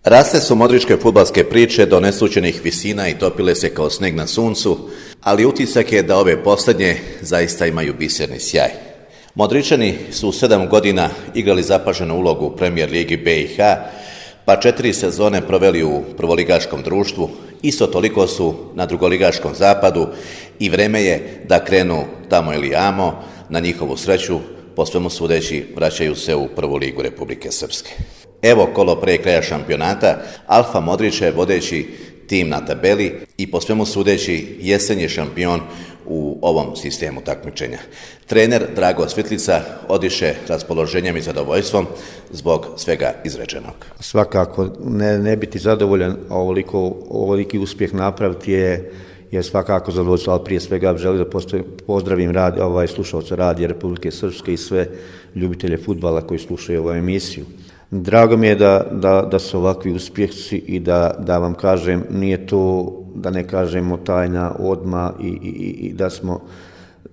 Rasle su modričke fudbalske priče do neslućenih visina i topile se kao sneg na suncu, ali utisak je da ove posljednje zaista imaju biserni sjaj. Modričani su u 7 godina igrali zapaženu ulogu u Premier ligi BiH, pa 4 sezone proveli u prvoligaškom društvu, isto toliko su na drugoligaškom zapadu i vreme je da krenu tamo ili amo. Na njihovu sreću, po svemu sudeći, vraćaju se u prvu ligu Republike Srpske. Evo kolo pre kraja šampionata, Alfa Modrić je vodeći tim na tabeli i po svemu sudeći jesen je šampion u ovom sistemu takmičenja. Trener Drago Svitlica odiše raspoloženjem i zadovoljstvom zbog svega izrečenog. Svakako ne biti zadovoljan, a ovoliki uspjeh napraviti je svakako zadovoljstvo, ali prije svega želim da pozdravim slušalce Radija Republike Srpske i sve ljubitelje fudbala koji slušaju ovu emisiju. Drago mi je da su ovakvi uspjesi i da vam kažem, nije to, da ne kažemo, tajna odmah i da smo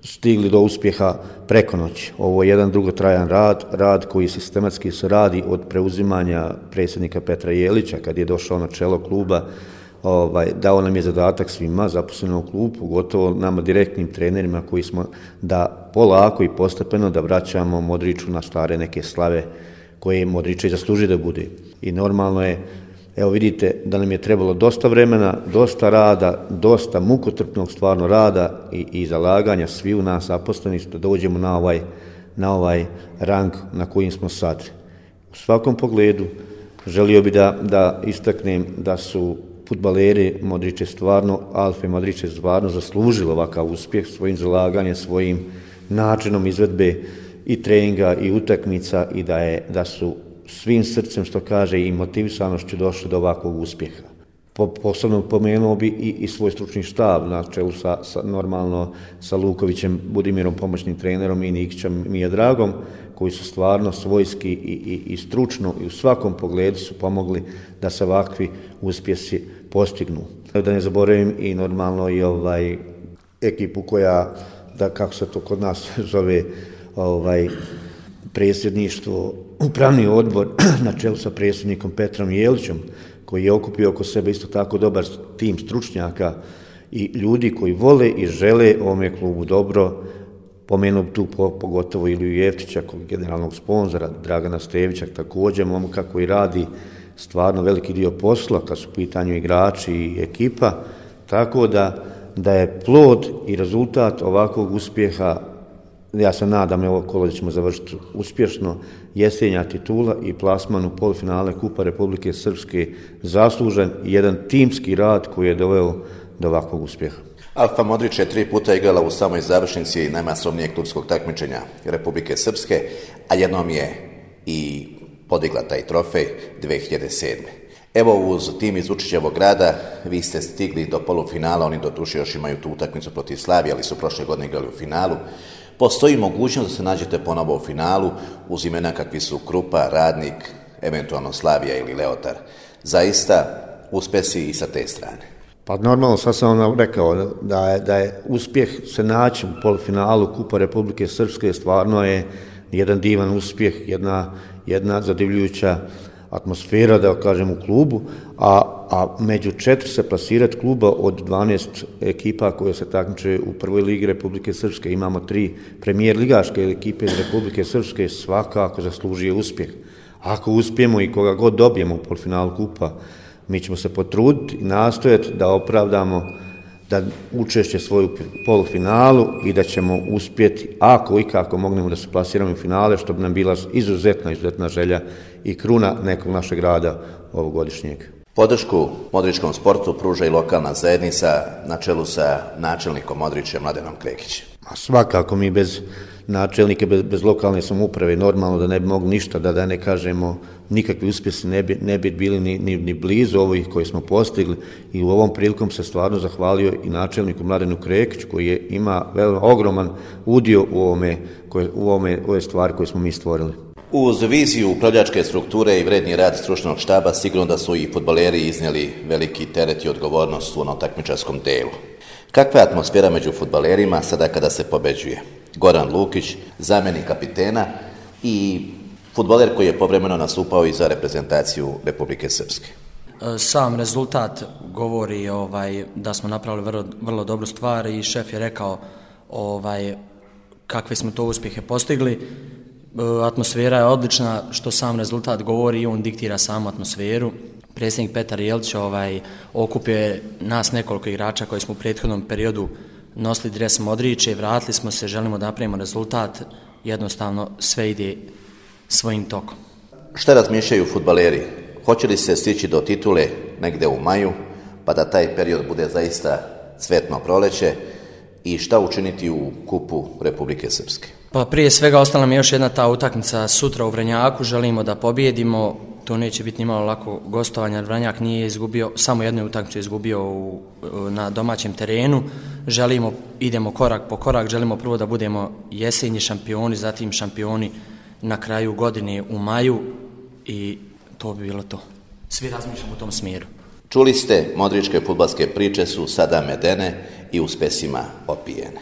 stigli do uspjeha preko noći. Ovo je jedan dugotrajan rad koji sistematski se radi od preuzimanja predsjednika Petra Jelića kad je došao na čelo kluba. Dao nam je zadatak svima zaposlenim u klubu, pogotovo nama direktnim trenerima koji smo da polako i postepeno da vraćamo Modriću na stare neke slave koje Modrić zasluži da bude. I normalno je, evo vidite da nam je trebalo dosta vremena, dosta rada, dosta mukotrpnog stvarno rada i zalaganja svi u nas zaposlenih da dođemo na ovaj rang na kojim smo sad. U svakom pogledu želio bih da istaknem da su fudbaleri Modrić stvarno, Alfa Modrić stvarno zaslužili ovakav uspjeh svojim zalaganjem, svojim načinom izvedbe i treninga i utakmica i da su svim srcem, što kaže, i motivisanošću došli do ovakvog uspjeha. Posebno pomenuo bi i svoj stručni štab na čelu sa Lukovićem, Budimirom, pomoćnim trenerom, i Nikićem Mijadragom, koji su stvarno svojski i stručno i u svakom pogledu su pomogli da se ovakvi uspjesi postignu. Da ne zaboravim i normalno i ekipu koja, kako se to kod nas zove, predsjedništvo, upravni odbor na čelu sa predsjednikom Petrom Jelićem, koji je okupio oko sebe isto tako dobar tim stručnjaka i ljudi koji vole i žele ovome klubu dobro. Pomenuo tu pogotovo Iliju Jeftića, generalnog sponzora, Dragana Stevića, također momka koji radi stvarno veliki dio posla kad su u pitanju igrači i ekipa, tako da je plod i rezultat ovakvog uspjeha. Ja se nadam evo kolo da ćemo završiti uspješno, jesenja titula i plasman u polufinale Kupa Republike Srpske zaslužen i jedan timski rad koji je doveo do ovakvog uspjeha. Alfa Modrić je 3 puta igrala u samoj završnici najmasovnijeg klubskog takmičenja Republike Srpske, a jednom je i podigla taj trofej 2007. Evo, uz tim iz Vučićevog grada vi ste stigli do polufinala, oni doduše još imaju tu utakmicu protiv Slavije, ali su prošle godine igrali u finalu. Postoji mogućnost da se nađete ponovo u finalu uz imena kakvi su Krupa, Radnik, eventualno Slavija ili Leotar. Zaista uspjesi i sa te strane. Pa normalno, sad sam vam rekao da je uspjeh se naći u polufinalu Kupa Republike Srpske, stvarno je jedan divan uspjeh, jedna zadivljujuća atmosfera, da kažem, u klubu, a među 4 se plasirati kluba od 12 ekipa koje se takmiče u prvoj ligi Republike Srpske. Imamo 3 premijer ligaške ekipe iz Republike Srpske, svakako zaslužuje uspjeh. Ako uspijemo i koga god dobijemo u polufinalu kupa, mi ćemo se potruditi i nastojati da opravdamo da učešće svoju polufinalu i da ćemo uspjeti, ako i kako mognemo, da se plasiramo u finale, što bi nam bila izuzetna želja i kruna nekog našeg rada ovogodišnjeg. Podršku modričkom sportu pruža i lokalna zajednica na čelu sa načelnikom Modrićem Mladenom Krekićem. Svakako mi bez načelnike, bez lokalne samouprave, normalno da ne bi mogli ništa, da ne kažemo nikakvi uspjesi ne bi bili ni blizu ovih koje smo postigli, i u ovom prilikom se stvarno zahvalio i načelniku Mladenu Krekiću koji ima ogroman udio u ove stvari koje smo mi stvorili. Uz viziju upravljačke strukture i vredni rad stručnog štaba, sigurno da su i fudbaleri iznijeli veliki teret i odgovornost u onom takmičarskom delu. Kakva je atmosfera među fudbalerima sada kada se pobeđuje? Goran Lukić, zamjenik kapitena, i Fudbaler koji je povremeno nastupao i za reprezentaciju Republike Srpske. Sam rezultat govori da smo napravili vrlo dobru stvar i šef je rekao kakve smo to uspjehe postigli. Atmosfera je odlična, što sam rezultat govori i on diktira samu atmosferu. Predsjednik Petar Jelić okupio je nas nekoliko igrača koji smo u prethodnom periodu nosili dres Modrića i vratili smo se, želimo da napravimo rezultat, jednostavno sve ide svojim tokom. Šta razmišljaju fudbaleri? Hoće li se stići do titule negde u maju, pa da taj period bude zaista cvetno proleće, i šta učiniti u kupu Republike Srpske? Pa prije svega ostala mi još jedna ta utakmica sutra u Vranjaku, želimo da pobjedimo, to neće biti nimalo lako gostovanje, jer Vranjak nije izgubio, samo jednu utakmicu izgubio na domaćem terenu, idemo korak po korak, želimo prvo da budemo jesenji šampioni, zatim šampioni na kraju godine u maju i to bi bilo to. Svi razmišljamo u tom smjeru. Čuli ste, modričke fudbalske priče su sada medene i uspesima opijene.